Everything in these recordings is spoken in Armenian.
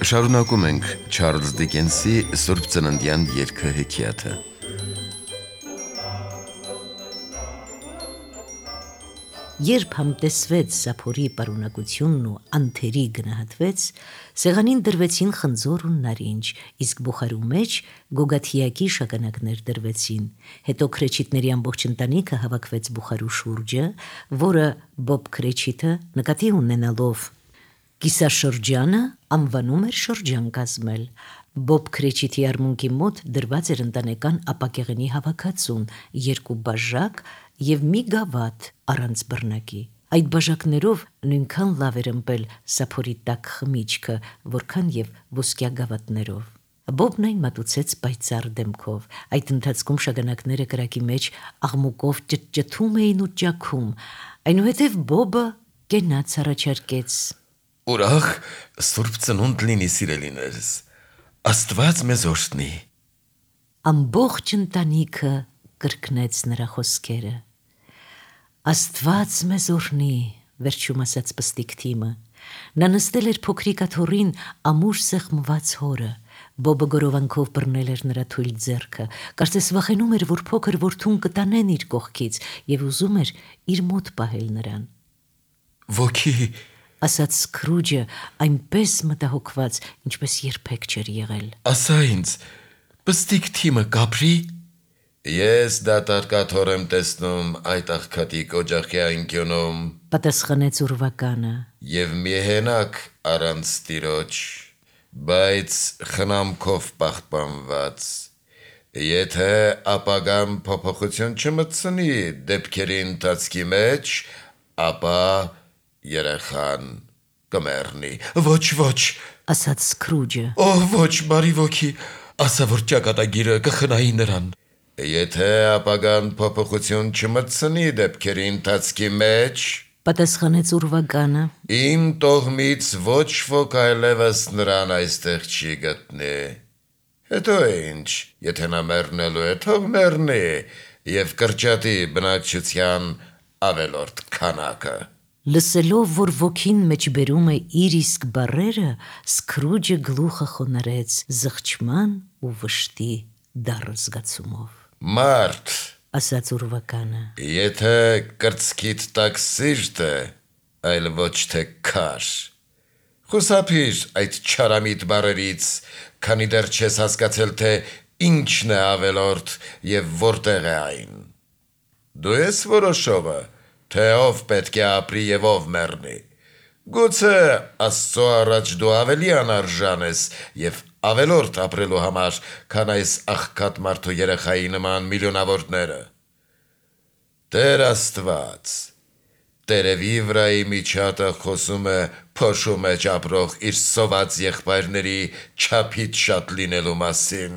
Շարունակում ենք Չարլզ Դիկենսի Սուրբ Ծննդյան երգը հեքիաթը։ Երբ համտեսվեց Սափորի պարունակությունն ու անթերի գնահատվեց, սեղանին դրվեցին խնձոր ու նարինջ, իսկ բուխարու մեջ գոգաթիակի շագանակներ դրվեցին։ Հետո քրեչիտների ամբողջ ընտանիքը հավաքվեց բուխարու շուրջը, որը Բոբ քրեչիտը նկատի ունենալով կիսաշրջանը անվանում էր շրջան կազմել։ Բոբ քրեչիտի արմունկի մոտ դրված էր ընտանեկան ապակեղենի հավաքածուն, 2 բաժակ և մի գավաթ առանց բռնակի։ Այդ բաժակներով նույնքան լավ էր ըմպել Սափորի տաք խմիչքը, որքան և ոսկյա գավաթներով։ Բոբն այն մատուցեց պայծառ դեմքով։ Այդ ընթացքում շագանակները կրակի մեջ աղմուկով ճտճթում էին ու ճաքում։ Այնուհետև Բոբը կենաց առաջարկեց. Ուրախ Սուրբ Ծնունդ լինի, սիրելիներս, Աստված մեզ օրհնի։ Ամբողջ ընտանիքը կրկնեց նրա խոսքերը։ Աստված մեզ օրհնի, վերջում ասաց պստիկ Թիմը։ Նա նստել էր փոքրիկ աթոռին ամուր սեղմված հորը։ Բոբը գորովանքով բռնել էր նրա թույլ ձեռքը, կարծես վախենում էր, որ փոքր որդուն կտանեն իր կողքից և ուզում էր իր մոտ պահել նրան։ Ոգի, ասաց Սքրուջը այնպես մտահոգված, ինչպես երբեք չէր եղել։ ասա ինձ, պստիկ Թիմը կապրի։ Ես դատարկ աթոռ եմ տեսնում այդ աղքատիկ օջախի անկյունում, պատասխանեց ուրվականը։ և միահենակ առանց տիրոջ, բայց խնամքով պահպանված։ Եթե ապագան փոփոխություն չմտցնի դեպքերի ընթացքի մեջ, ապա երեխան կմեռնի։ Ոչ, ասաց Սքրուջը։ ոչ, բարի ոգի, ասա, որ ճակատագիրը կխնայի նրան։ Եթե ապագան փոփոխություն չմտցնի դեպքերի ընթացքի մեջ, պատասխանեց ուրվականը, իմ տոհմից ոչ ոք այլևս նրան այստեղ չի գտնի։ Հետո ինչ, եթե նա մեռնելու է, թող մեռնի և կրճատի բնակչության ավելորդ քանակը։ Լսելով, որ ոգին մեջ բերում է իր իսկ բառերը, Սքրուջը գլուխը խոնարհեց զղջման ու վշտի դառը զգացումով։ Մարդ, ասաց ուրվականը, եթե կրծքիդ տակ սիրտ է, այլ ոչ թե քար, խուսափիր այդ չարամիտ բառերից, քանի դեռ չես հասկացել, թե ինչն է ավելորդ և որտեղ է այն։ Դու ես որոշողը, թե ով պետք է ապրի և ով մեռնի։ Գուցե Աստծո առաջ դու ավելի անարժան ես և ավելորդ ապրելու համար, քան այս աղքատ մարդու երեխայի նման միլիոնավորները։ Տեր Աստված, տերևի վրայի միջատը խոսում է փոշու մեջ ապրող իր սոված եղբայրների չափից շատ լինելու մասին։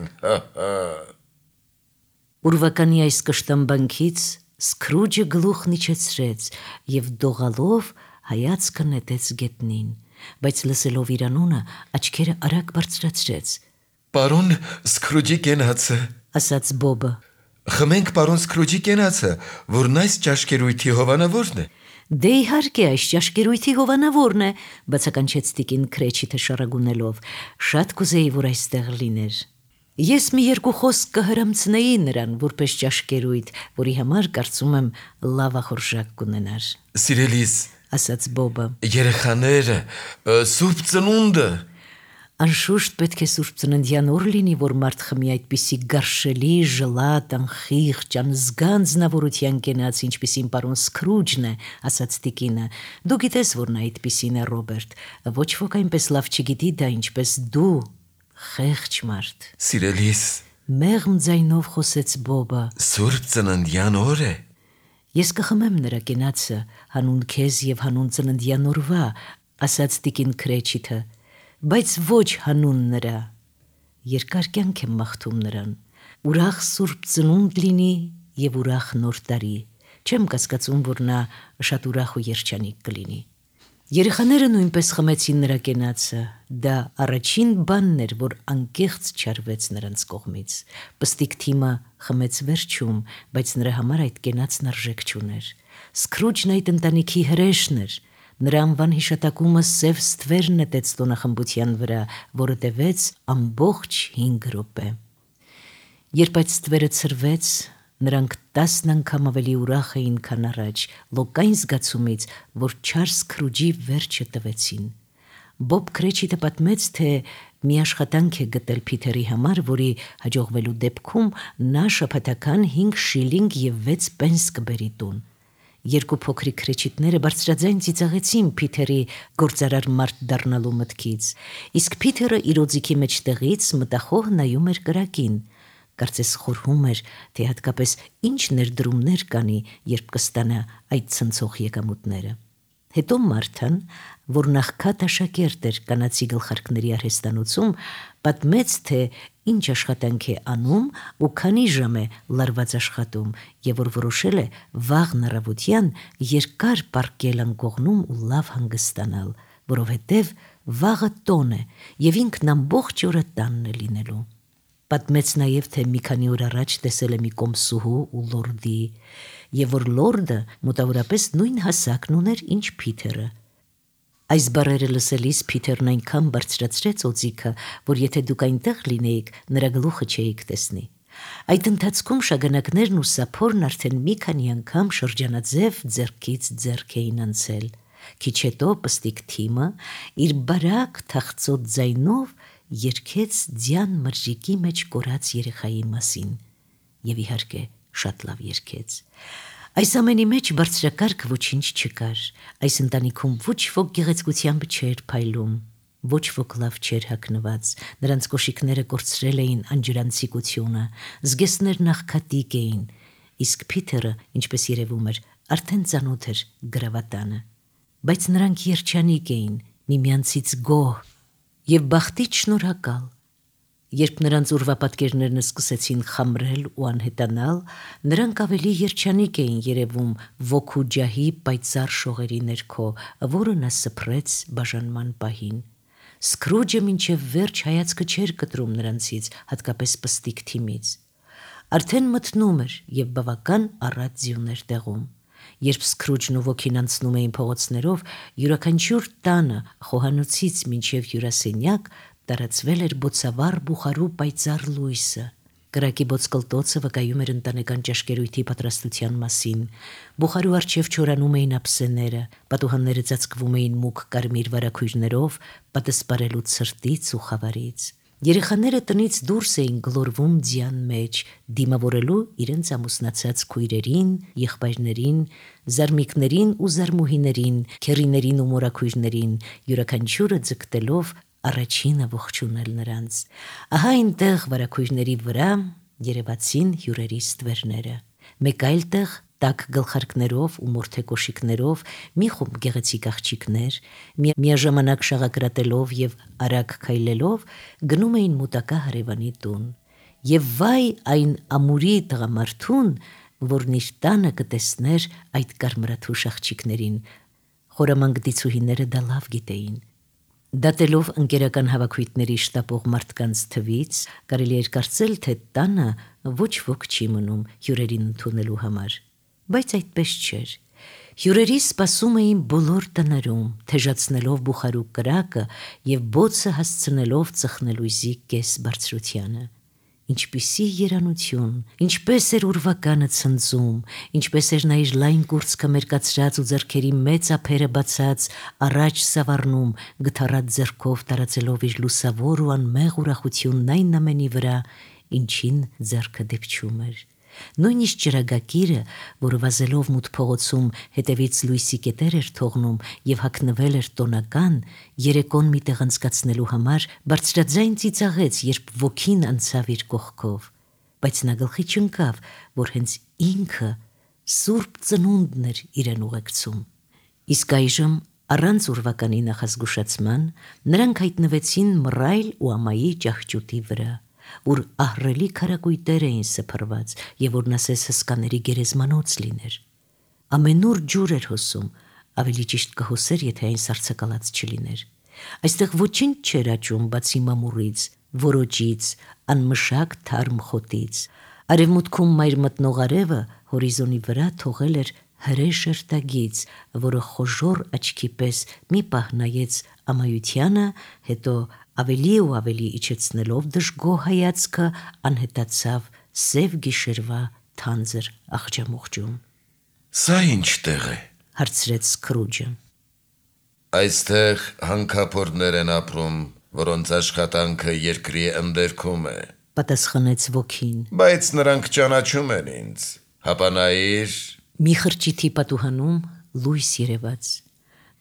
Ուրվականի այս կշտամբանքից Սքրուջը գլուխն իջեցրեց և դողալով հայացքը նետեց գետնին, բայց լսելով իր անունը աչքերը արագ բարձրացրեց։ Պարոն Սքրուջի կենացը, ասաց Բոբը։ Խմենք պարոն Սքրուջի կենացը, որն այս ճաշկերույթի հովանավորն է։ Դե իհարկե այս ճաշկերույթի հովանավորն է, բացականչեց տիկին Քրեչիտը շարագունելով։ Շատ կուզեի, որ այստեղ լիներ։ Ես մի 2 խոսք կհրամցնեի նրան, որպես ճաշկերույթ, որի համար կարծում եմ լավ ախորժակ կունենար։ Սիրելիս, ասաց Բոբը, երեխաները, Սուրբ Ծնունդը։ Անշուշտ պետք է Սուրբ Ծննդյան օր լինի, որ մարդ խմի այդպիսի գարշելի, ժլատ, անխիղճ, անզգան ձնավորության կենաց, ինչպիսին պարոն Սքրուջն է, ասաց տիկինը։ Դու գիտես, որ նա այդպիսին է, Ռոբերտ։ Ոչ ոք այնպես լավ չգիտի դա, ինչպես դու, խեղճ մարդ։ Սիրելիս, մեղմ ձայնով խոսեց Բոբը։ Սուրբ Ծննդյան օր է։ Ես կխմեմ նրա կենացը, հանուն քեզ և հանուն ծննդյան օրվա, ասաց տիկին Քրեչիտը, բայց ոչ հանուն նրա։ Երկար կյանք եմ մաղթում նրան։ Ուրախ Սուրբ Ծնունդ լինի և ուրախ Նոր տարի։ Չեմ կասկածում, որ նա շատ ուրախ ու երջանիկ կլինի։ Երեխաները նույնպես խմեցին նրա կենացը։ Դա առաջին բանն էր, որ անկեղծ չարվեց նրանց կողմից։ Պստիկ Թիմը խմեց վերջում, բայց նրա համար այդ կենացն արժեք չուներ։ Սքրուջն այդ ընտանիքի հրեշն էր։ Նրա անվան հիշատակումը սև ստվեր նետեց տոնախմբության վրա, որը տևեց ամբողջ 5 րոպե։ Երբ այդ ստվերը ցրվեց, նրանք 10 անգամ ավելի ուրախ էին, քան առաջ, լոկային զգացումից, որ չար Սքրուջի վերջը տվեցին։ Բոբ Քրեչիտը պատմեց, թե մի աշխատանք է գտել Փիթերի համար, որի հաջողվելու դեպքում նա շաբաթական 5 շիլինգ եւ 6 պենս կբերի տուն։ Երկու փոքրիկ քրեչիտները բարձրաձայն ծիծաղեցին Փիթերի գործարար մարդ դառնալու մտքից, իսկ Փիթերը իր օձիքի մեջտեղից մտախոհ նայում էր կրակին, կարծես խորհում էր, թե հատկապես ինչ ներդրումներ կանի, երբ կստանա այդ ցնցող եկամուտները։ Հետո Մարթան, որ նախքատ աշակերտ էր կանացի գլխարկների արհեստանոցում, պատմեց, թե ինչ աշխատանք է անում ու քանի ժամ է լարված աշխատում, եւ որ որոշել է վաղն առավոտյան երկար պառկել անկողնում ու լավ հանգստանալ, որովհետեւ վաղը տոն է եւ ինքն ամբողջ օրը տանն է լինելու։ Պատմեց նաև, թե մի քանի օր առաջ տեսել է մի կոմսուհու ու լորդի, եւ որ լորդը մոտավորապես նույն հասակն ուներ, ինչ Փիթերը։ Այս բառերը լսելիս Փիթերն այնքան բարձրացրեց օձիքը, որ եթե դուք այնտեղ լինեիք, նրա գլուխը չէիք տեսնի։ Այդ ընթացքում շագանակներն ու սափորն արդեն մի քանի անգամ շրջանաձև ձեռքից ձեռք էին անցել։ Քիչ հետո պստիկ Թիմը իր բարակ թախծոտ ձայնով երգեց ձյան մրրիկի մեջ կորած երեխայի մասին, եւ իհարկե շատ լավ երգեց։ Այս ամենի մեջ բարձրակարգ ոչինչ չկար, այս ընտանիքում ոչ ոք գեղեցկությամբ չէր փայլում, ոչ ոք լավ չէր հագնված, նրանց կոշիկները կորցրել էին անջրանցիկությունը, զգեստներն աղքատիկ էին, իսկ Փիթերը, ինչպես երևում էր, արդեն ծանոթ էր գրավատանը, բայց նրանք երջանիկ էին, միմյանցից գոհ եւ բախտից շնորհակալ։ Երբ նրանց ուրվապատկերներն սկսեցին խամրել ու անհետանալ, նրանք ավելի երջանիկ էին երևում ոգու ջահի պայծառ շողերի ներքո, որը նա սփռեց բաժանման պահին։ Սքրուջը մինչև վերջ հայացքը չէր կտրում նրանցից, հատկապես պստիկ Թիմից։ Արդեն մթնում էր եւ բավական առատ ձյուն էր տեղում։ Երբ Սքրուջն ու ոգին անցնում էին փողոցներով, յուրաքանչյուր տանը, խոհանոցից մինչև հյուրասենյակ, տարածվել էր բոցավառ բուխարու պայծառ լույսը։ Կրակի բոցկլտոցը վկայում էր ընտանեկան ճաշկերույթի պատրաստության մասին։ Բուխարու առջև չորանում էին ափսեները, պատուհանները ծածկվում էին մուգ կարմիր վարագույրներով, պատսպարելու ցրտից ու խավարից։ Երեխաները տնից դուրս էին գլորվում ձյան մեջ, դիմավորելու իրենց ամուսնացած քույրերին, եղբայրներին, զարմիկներին ու զարմուհիներին, քեռիներին ու մորաքույրներին, յուրաքանչյուրը ձգտելով առաջինը ողջունել նրանց։ Ահա այնտեղ վարագույրների վրա երևացին հյուրերի ստվերները։ Մեկ այլ տեղ տաք գլխարկներով ու մորթե կոշիկներով մի խումբ գեղեցիկ աղջիկներ, միաժամանակ շաղակրատելով եւ արագ քայլելով գնում էին մոտակա հարևանի տուն։ Եվ վայ այն ամուրի տղամարդուն, որն իր տանը կտեսներ այդ կարմրաթուշ աղջիկներին, խորամանկդիցուհիները դա լավ գիտեին։ Դատելով ընկերական հավաքույթների շտապող մարդկանց թվից, կարելի էր կարծել, թե տանը ոչ ոք չի մնում հյուրերին ընդունելու համար, բայց այդպես չէր։ Հյուրերի սպասում էին բոլոր տներում, թեժացնելով բուխարու կրակը եւ բոցը հասցնելով ծխնելույզի կես բարձրությանը։ Ինչպիսի երանություն, ինչպես էր ուրվականը ցնծում, ինչպես էր նա իր լայն կուրծքը մերկացրած ու ձեռքերի մեծ ափերը բացած առաջ սավառնում, գթառած ձեռքով տարածելով իր լուսավոր ու անմեղ ուրախությունն այն ամենի վրա, ինչին ձեռքը դիպչում էր։ Նույնիսկ ճրագակիրը, որը վազելով մութ փողոցում հետևից լույսի կետեր էր թողնում եւ հագնվել էր տոնական, երեկոն մի տեղ անցկացնելու համար բարձրաձայն ծիծաղեց, երբ ոգին անցավ իր կողքով, բայց նա գլխի չընկավ, որ հենց ինքը սուրբ ծնունդն էր իրեն ուղեկցում։ Իսկ այժմ առանց ուրվականի նախազգուշացման նրանք հայտնվեցին մռայլ ու ամայի ճահճուտի վրա, ուր ահռելի քարակույտեր էին սփռված եւ որ նասես հսկաների գերեզմանոց լիներ։ Ամենուր ջուր էր հոսում, ավելի ճիշտ կհոսեր, եթե այն սառցակալած չլիներ։ Այստեղ ոչինչ չէր աճում բացի մամուրից, որոճից, անմշակ թարմ խոտից։ Արևմուտքում մայր մտնող արևը հորիզոնի վրա թողել էր հրե շերտագից, որը խոժոր աչքի պես մի պահ նայեց ամայությանը, հետո ավելի ու ավելի իջեցնելով դժգոհ հայացքը անհետացավ սև գիշերվա թանձր աղջամուղջում։ Սա ինչ տեղ է, հարցրեց Սքրուջը։ Այստեղ հանքափորներ են ապրում, որոնց աշխատանքը երկրի ընդերքում է, պատասխանեց ոգին։ բայց նրանք ճանաչում են ինձ, հապա նայիր, Մի խրճիթի պատուհանում լույս երևաց։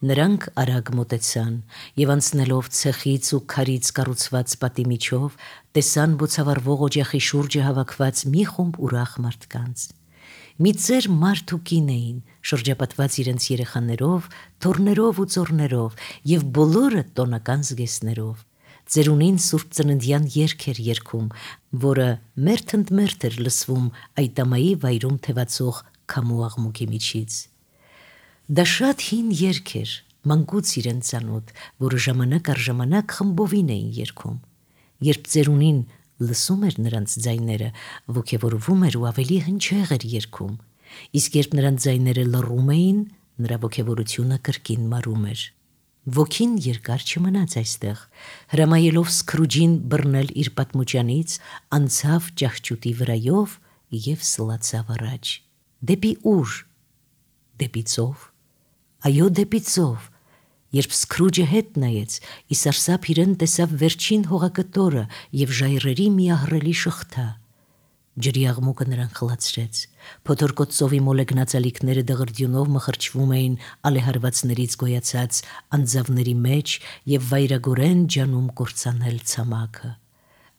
Նրանք արագ մոտեցան եւ անցնելով ցեխից ու քարից կառուցված պատի միջով տեսան բոցավառվող օջախի շուրջը հավաքված մի խումբ ուրախ մարդկանց։ Մի ծեր մարդ ու կին էին, շրջապատված իրենց երեխաներով, թոռներով ու ծոռներով եւ բոլորը տոնական զգեստներով։ Ծերունին Սուրբ Ծննդյան երգ էր երգում, որը մերթընդմերթ էր լսվում այդ ամայի վայրում թևածող քամու աղմուկի միջից։ Դա շատ հին երգ էր, մանկուց իրեն ծանոթ, որը ժամանակ առ ժամանակ խմբովին էին երգում։ Երբ ծերունին լսում էր նրանց ձայները, ոգևորվում էր ու ավելի հնչեղ էր երգում, իսկ երբ նրանց ձայները լռում էին, նրա ոգևորությունը կրկին մարում էր։ Ոգին երկար չմնաց այստեղ, հրամայելով Սքրուջին բռնել իր պատմուճանից, անցավ ճահճուտի վրայով եւ սլացավ առաջ։ Դեպի ուր։ Դեպի ծով։ Այո, դեպի ծով։ Երբ Սքրուջը հետ նայեց, ի սարսափ իրեն տեսավ վերջին հողակտորը եւ ժայռերի մի ահռելի շղթա։ Ջրի աղմուկը նրան խլացրեց։ Փոթորկոտ ծովի մոլեգնած ալիքները դղրդյունով մխրճվում էին ալեհարվածներից գոյացած անձավների մեջ եւ վայրագորեն ջանում կործանել ցամաքը։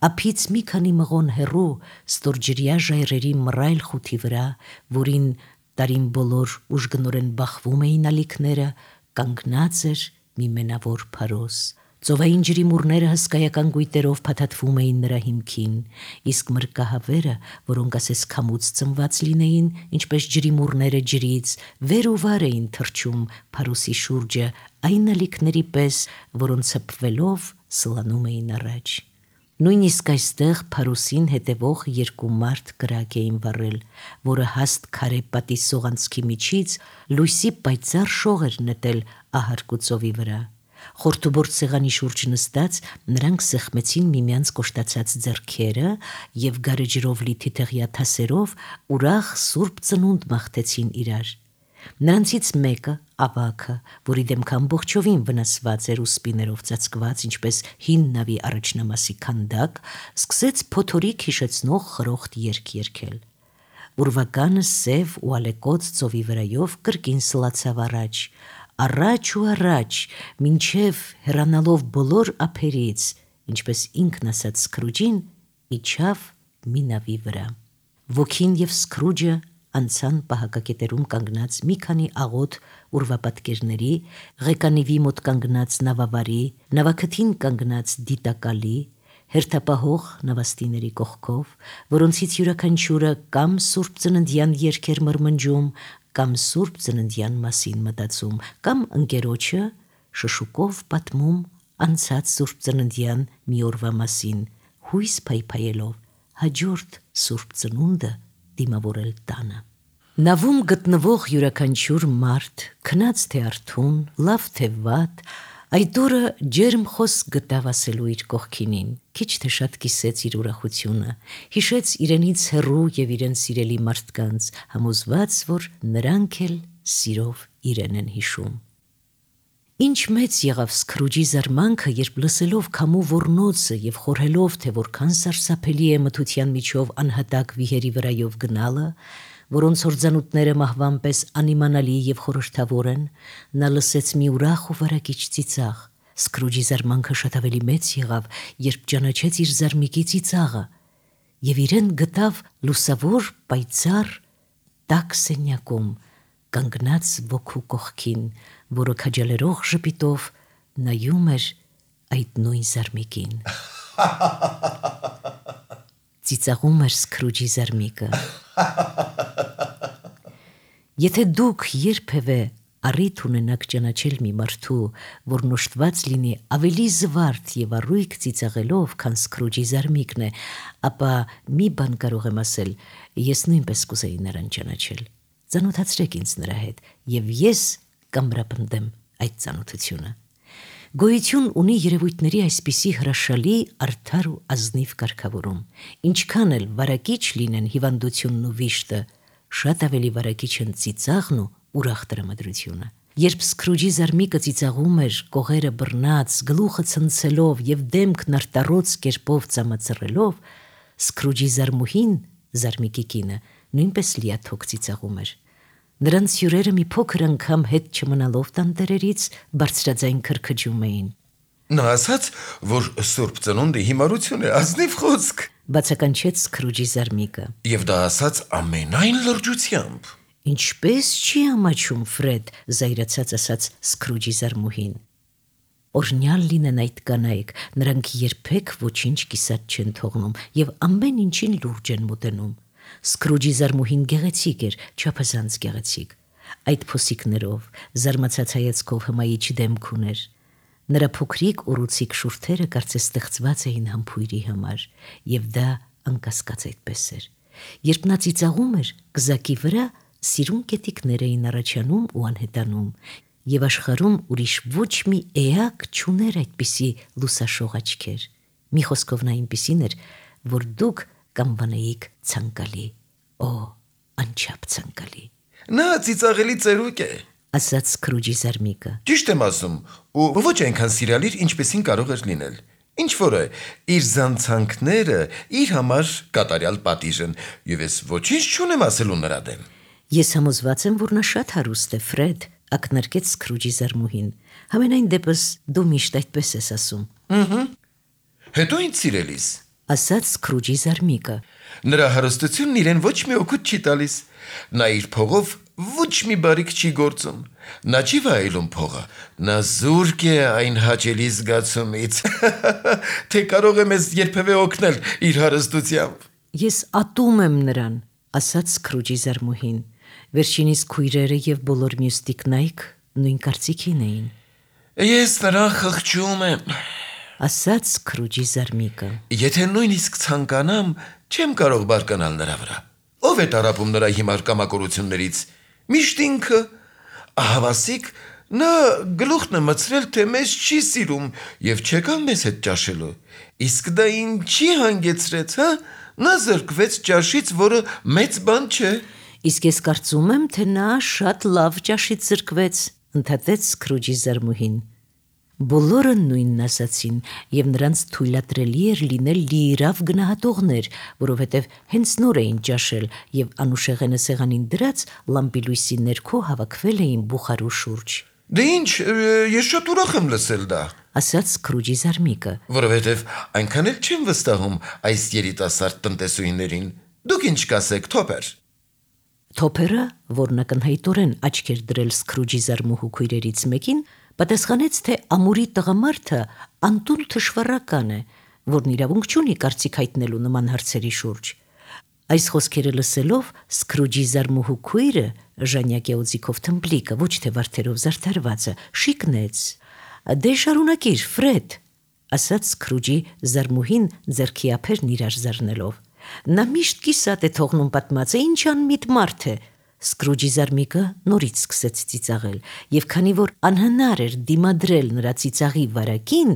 Ափից մի քանի մղոն հեռու ստորջրյա ժայռերի մռայլ խութի վրա, որին տարին բոլոր ուժգնորեն բախվում էին ալիքները, կանգնած էր մի մենավոր փարոս։ Ծովային ջրի մուրները հսկայական գույտերով փաթաթվում էին նրա հիմքին, իսկ մրկահավերը, որոնք ասես քամուց ծնված լինեին, ինչպես ջրի մուրները ջրից, վեր ու վար էին թռչում փարոսի շուրջը, այն ալիքների պես, որոնց հպվելով սլանում էին առաջ։ Նույնիսկ այստեղ փարոսին հետևող երկու մարդ կրակ էին վառել, որը հաստ քարե պատի սողանցքի միջից լույսի պայծառ շող էր նետել ահարկու ծովի վրա։ Խորթուբորտ սեղանի շուրջ նստած նրանք սեղմեցին միմյանց կոշտացած ձեռքերը եւ գարեջրով լի թիթեղյա թասերով ուրախ Սուրբ Ծնունդ մաղթեցին իրար։ Նրանցից մեկը, ավագը, որի դեմքը ամբողջովին վնասված էր ու սպիներով ծածկված, ինչպես հին նավի առաջնամասի քանդակ, սկսեց փոթորիկ հիշեցնող խրոխտ երգ երգել։ Ուրվականը սև ու ալեկոծ ծովի վրայով կրկին սլացավ առաջ ու առաջ, մինչև հեռանալով բոլոր ափերից, ինչպես ինքն ասաց Սքրուջին, իջավ մի նավի վրա։ Ոգին եւ Սքրուջը անցան պահակակետերում կանգնած մի քանի աղոտ ուրվապատկերների, ղեկանիվի մոտ կանգնած նավավարի, նավաքթին կանգնած դիտակալի, հերթապահող նավաստիների կողքով, որոնցից յուրաքանչյուրը կամ Սուրբ Ծննդյան երգ էր մրմնջում, կամ Սուրբ Ծննդյան մասին մտածում, կամ ընկերոջը շշուկով պատմում անցած Սուրբ Ծննդյան մի օրվա մասին, հույս փայփայելով հաջորդ Սուրբ Ծնունդը դիմավորել տանը։ Նավում գտնվող յուրաքանչյուր մարդ, քնած թե արթուն, լավ թե վատ, այդ օրը ջերմ խոսք գտավ ասելու իր կողքինին, քիչ թե շատ կիսեց իր ուրախությունը, հիշեց իրենից հեռու եւ իրեն սիրելի մարդկանց, համոզված, որ նրանք էլ սիրով իրեն են հիշում։ Ինչ մեծ եղավ Սքրուջի զարմանքը, երբ լսելով քամու ոռնոցը եւ խորհելով, թե որքան սարսափելի է մթության միջով անհատակ վիհերի վրայով գնալը, որոնց հորձանուտները մահվան պես անիմանալի եւ խորհրդավոր են, նա լսեց մի ուրախ ու վարակիչ ծիծաղ։ Սքրուջի զարմանքը շատ ավելի մեծ եղավ, երբ ճանաչեց իր զարմիկի ծիծաղը եւ իրեն գտավ լուսավոր պայծառ տաք սենյակում, կանգնած ոգու կողքին, որը քաջալերող ժպիտով նայում էր այդ նույն զարմիկին։ Ծիծաղում էր Սքրուջի զարմիկը։ Եթե դուք երբևէ առիթ ունենաք ճանաչել մի մարդու, որն օժտված լինի ավելի զվարթ եւ առույգ ծիծաղելով, քան Սքրուջի զարմիկն է, ապա մի բան կարող եմ ասել, ես նույնպես կուզեի նրան ճանաչել։ ծանոթացրեք ինձ նրա հետ, եւ ես կամրապնդեմ այդ ծանոթությունը։ Գոյություն ունի երևույթների այսպիսի հրաշալի, արդար ու ազնիվ կարգավորում, ինչքան էլ վարակիչ լինեն հիվանդությունն ու վիշտը, շատ ավելի վարակիչ են ծիծաղն ու ուրախ տրամադրությունը։ Երբ Սքրուջի զարմիկը ծիծաղում էր, կողերը բռնած, գլուխը ցնցելով եւ դեմքն արտառոց կերպով ծամածռելով, Սքրուջի զարմուհին, զարմիկի կինը, նույնպես լիաթոք ծիծաղում էր։ Նրանց հյուրերը մի փոքր անգամ հետ չմնալով տանտերերից բարձրաձայն քրքջում էին։ Նա ասաց, որ Սուրբ Ծնունդի հիմարություն է, ազնիվ խոսք, բացականչեց Սքրուջի զարմիկը։ Եվ դա ասաց ամենայն լրջությամբ։ Ինչպես չի ամաչում Ֆրեդ, զայրացած ասաց Սքրուջի զարմուհին։ Օրհնյալ լինեն այդ կանայք, նրանք երբեք ոչինչ կիսատ չեն թողնում եւ ամեն ինչին լուրջ են մոտենում։ Սքրուջի զարմուհին գեղեցիկ էր, չափազանց գեղեցիկ։ Այդ փոսիկներով, զարմացած հայացքով հմայիչ դեմք ուներ։ Նրա փոքրիկ ուռուցիկ շուրթերը կարծես ստեղծված էին համբույրի համար, եւ դա անկասկած այդպես էր։ Երբ նա ծիծաղում էր, գզակի վրա սիրուն կետիկներ էին առաջանում ու անհետանում, եւ աշխարհում ուրիշ ոչ մի էակ չուներ այդպիսի լուսաշող աչքեր։ Մի խոսքով նա այնպիսին էր, որ դուք կանվանեիք ցանկալի, անչափ ցանկալի։ Նա ծիծաղելի ծերուկ է, ասաց Սքրուջի զարմիկը։ Ճիշտ եմ ասում, ու ոչ այնքան սիրալիր, ինչպեսին կարող էր լինել։ Ինչ որ է, իր զանցանքները իր համար կատարյալ պատիժ են, եւ ես ոչինչ չունեմ ասելու նրա դեմ։ Ես համոզված եմ, որ նա շատ հարուստ է, Ֆրեդ, ակնարկեց Սքրուջի զարմուհին։ Համենայն դեպս դու միշտ այդպես ես ասում։ Հետո ինչ սիրելիս, ասաց Սքրուջի զարմիկը։ Նրա հարստությունն իրեն ոչ մի օգուտ չի տալիս։ Նա իր փողով ոչ մի բարիք չի գործում։ Նա չի վայելում փողը։ Նա զուրկ է այն հաճելի զգացումից, թե կարող է մեզ երբևէ օգնել իր հարստությամբ։ Ես ատում եմ նրան, ասաց Սքրուջի զարմուհին։ Վերջինիս քույրերը եւ բոլոր մյուս տիկնայք նույն կարծիքին էին։ Ես նրան խղճում եմ, ասաց Սքրուջի զարմիկը։ Եթե նույնիսկ ցանկանամ, չեմ կարող բարկանալ նրա վրա։ Ով է տարապում նրա հիմար կամակորություններից։ Միշտ ինքը, ահավասիկ, նա գլուխն է մցրել, թե մեզ չի սիրում եւ չեկավ մեզ հետ ճաշելու։ Իսկ դա ինչի հանգեցրեց, հա? Նա զրկվեց ճաշից, որը մեծ բան չէ։ Իսկ ես կարծում եմ, թե նա շատ լավ ճաշից զրկվեց, ընդհատեց Սքրուջի զարմուհին։ Բոլորը նույնն ասացին, եւ նրանց թույլատրելի էր լինել լիիրավ գնահատողներ, որովհետեւ հենց նոր էին ճաշել եւ անուշեղենը սեղանին դրած լամպի լույսի ներքո հավաքվել էին բուխարու շուրջ։ Դե ինչ, ես շատ ուրախ եմ լսել դա, ասաց Սքրուջի զարմիկը, որովհետեւ այնքան էլ չեմ վստահում այս երիտասարդ տնտեսուհիներին։ Դուք ինչ կասեք, Թոփեր։ Թոփերը, որն ակնհայտորեն աչք էր դրել Սքրուջի զարմուհու քույրերից մեկին, պատասխանեց, թե ամուրի տղամարդը անտուն թշվառական է, որն իրավունք չունի կարծիք հայտնելու նման հարցերի շուրջ։ Այս խոսքերը լսելով Սքրուջի զարմուհու քույրը, Ժանյակի օձիքով թմբլիկը, ոչ թե վարդերով զարդարվածը, շիկնեց։ Դե շարունակիր, Ֆրեդ, ասաց Սքրուջի զարմուհին ձեռքի ափերն իրար զարնելով։ Նա միշտ կիսատ է թողնում պատմածը, ինչ անմիտ մարդ է։ Սքրուջի զարմիկը նորից սկսեց ծիծաղել, եւ քանի որ անհնար էր դիմադրել նրա ծիծաղի վարակին,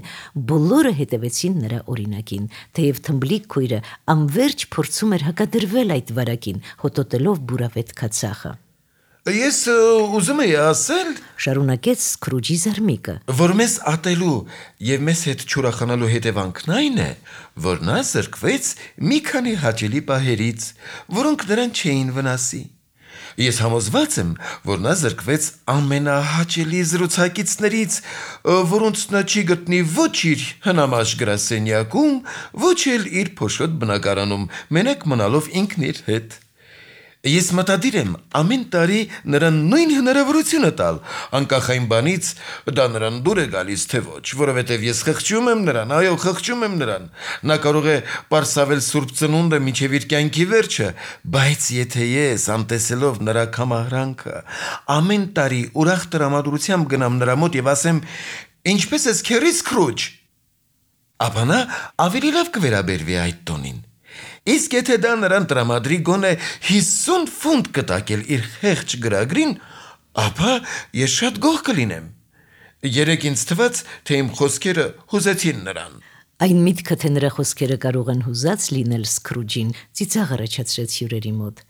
բոլորը հետևեցին նրա օրինակին, թեև թմբլիկ քույրը անverջ փորձում էր հակադրվել այդ վարակին, հոտոտելով բուրավետ քացախը։ Ես ուզում եի ասել, շարունակեց Սքրուջի զարմիկը, որ մեզ ատելու եւ մեզ հետ չուրախանալու հետևանքն այն է, որ նա զրկվեց մի քանի հաճելի պահերից, որոնք նրան չէին վնասի։ Ես համոզված եմ, որ նա զրկվեց ամենահաճելի զրուցակիցներից, որոնց նա չի գտնի ոչ իր հնամաշ գրասենյակում, ոչ էլ իր փոշոտ բնակարանում, մենակ մնալով ինքն իր հետ։ Ես մտադիր եմ ամեն տարի նրան նույն հնարավորությունը տալ, անկախ այն բանից դա նրան դուր է գալիս թե ոչ, որովհետև ես խղճում եմ նրան, այո, խղճում եմ նրան։ Նա կարող է պարսավել Սուրբ Ծնունդը մինչև իր կյանքի վերջը, բայց եթե ես անտեսելով նրա կամահրանքը ամեն տարի ուրախ տրամադրությամբ գնամ նրա մոտ եւ ասեմ. «Ինչպես ես քերի Սքրուջ», ապա նա ավելի լավ կվերաբերվի այդ տոնին։ Իսկ եթե դա նրան տրամադրի գոնե 50 ֆունտ կտակել իր խեղճ գրագրին, ապա ես շատ գոհ կլինեմ։ Երեկ ինձ թվաց, թե իմ խոսքերը հուզեցին նրան։ Այն միտքը, թե նրա խոսքերը կարող են հուզած լինել Սքրուջին, ծիծաղ առաջացրեց հյուրերի մոտ,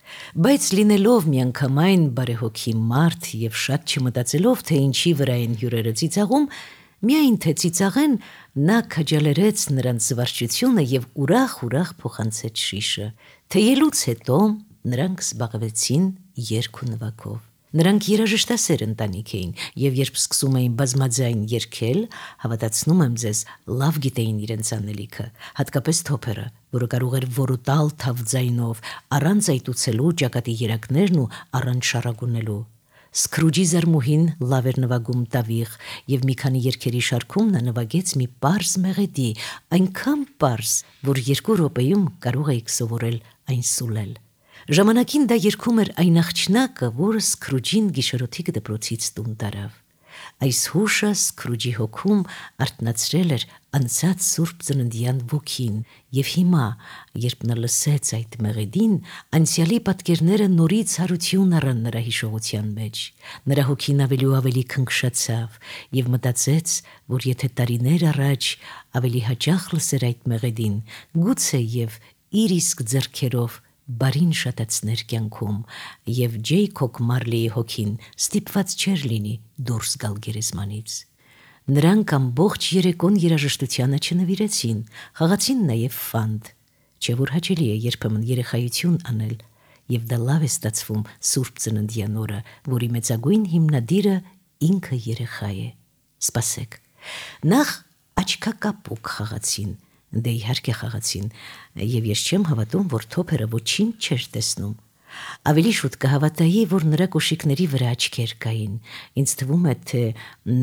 բայց լինելով միանգամայն բարեհոգի մարդ եւ շատ չմտածելով, թե ինչի վրա են հյուրերը ծիծաղում, միայն թե ծիծաղեն, նա քաջալերեց նրանց զվարճությունը եւ ուրախ փոխանցեց շիշը։ Թեյելուց հետո նրանք զբաղվեցին երգ ու նվագով։ Նրանք երաժշտասեր ընտանիք էին եւ երբ սկսում էին բազմաձայն երգել, հավատացնում եմ ձեզ, լավ գիտեին իրենց անելիքը, հատկապես թոփերը, որը կարող էր որոտալ թավ ձայնով, առանց այտուցելու ճակատի երակներն ու առանց շարագունելու։ Սքրուջի զարմուհին լավ էր նվագում տավիղ եւ մի քանի երգերի շարքում նա նվագեց մի պարզ մեղեդի, այնքան պարզ, որ 2 րոպեում կարող էիք սովորել այն սուլել։ Ժամանակին դա երգում էր այն աղջնակը, որը Սքրուջին գիշերօթիկ դպրոցից տուն տարավ։ Այս հուշը Սքրուջի հոգում արթնացրել էր անցած Սուրբ Ծննդյան ոգին, եւ հիմա, երբ նա լսեց այդ մեղեդին, անցյալի պատկերները նորից հարություն առան նրա հիշողության մեջ։ Նրա հոգին ավելի ու ավելի քնքշացավ եւ մտածեց, որ եթե տարիներ առաջ ավելի հաճախ լսեր այդ մեղեդին, գուցե եւ իր իսկ ձեռքերով բարին շատացներ կյանքում եւ Ջեյքոբ Մարլիի հոգին ստիպված չէր լինի դուրս գալ գերեզմանից։ Նրանք ամբողջ երեկոն երաժշտությանը չնվիրեցին, խաղացին նաեւ ֆանտ, չէ որ հաճելի է երբեմն երեխայություն անել, եւ դա լավ է ստացվում Սուրբ Ծննդյան օրը, որի մեծագույն հիմնադիրը ինքը երեխա է։ Սպասեք։ Նախ աչքակապուկ խաղացին, դե իհարկե խաղացին, եւ ես չեմ հավատում, որ թոփերը ոչինչ չէր տեսնում։ Ավելի շուտ կհավատայի, որ նրա կոշիկների վրա աչքեր կային։ Ինձ թվում է, թե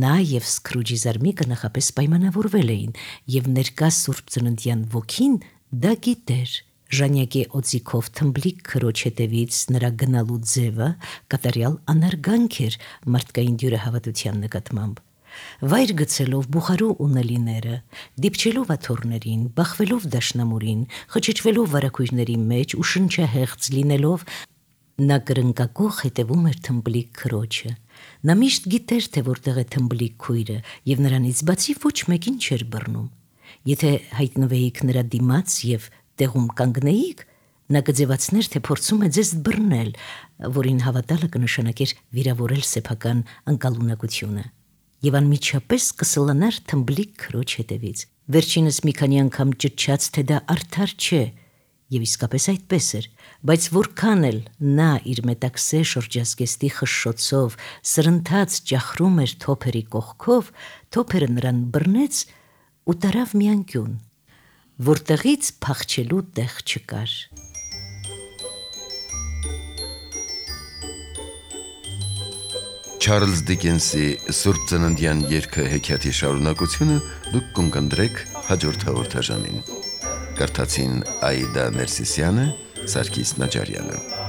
նա եւ Սքրուջի զարմիկը նախապես պայմանավորվել էին, եւ ներկա Սուրբ Ծննդյան ոգին դա գիտեր։ Ժանյակի օձիքով թմբլիկ քրոջ հետևից նրա գնալու ձևը կատարյալ անարգանք էր մարդկային դյուրահավատության նկատմամբ։ Վայր գցելով Բուխարու ունելիները, դիպչելով աթոռներին, բախվելով դաշնամուրին, խճճվելով վարակույրների մեջ ու շնչահեղձ լինելով, նա կրնկակող հետևում էր թմբլիկ քրոջը։ Նա միշտ գիտեր, թե որտեղ է թմբլիկ քույրը, եւ նրանից բացի ոչ մեկին չէր բռնում։ Եթե հայտնվեիք նրա դիմաց եւ տեղում կանգնեիք, նա կձևացներ, թե փորձում է ձեզ բռնել, որին հավատալը կնշանակեր վիրավորել սեփական անկալունակությունը։ Եվ անմիջապես կսլանար թմբլիկ քրոջ հետևից։ Վերջինս մի քանի անգամ ճչաց, թե դա արդար չէ, եւ իսկապես այդպես էր, բայց որքան էլ նա իր մետաքսե շրջազգեստի խշշոցով սրընթաց ճախրում էր թոփերի կողքով, թոփերը նրան բռնեց ու տարավ մի անկյուն, որտեղից փախչելու տեղ չկար։ Չարլզ Դիկենսի Սուրբ Ծննդյան երգը հեքիաթի շարունակությունը դուք կընկնդրեք հաջորդ հաղորդաժամին։ Կարդացին Աիդա Ներսիսյանը, Սարգիս Նաջարյանը։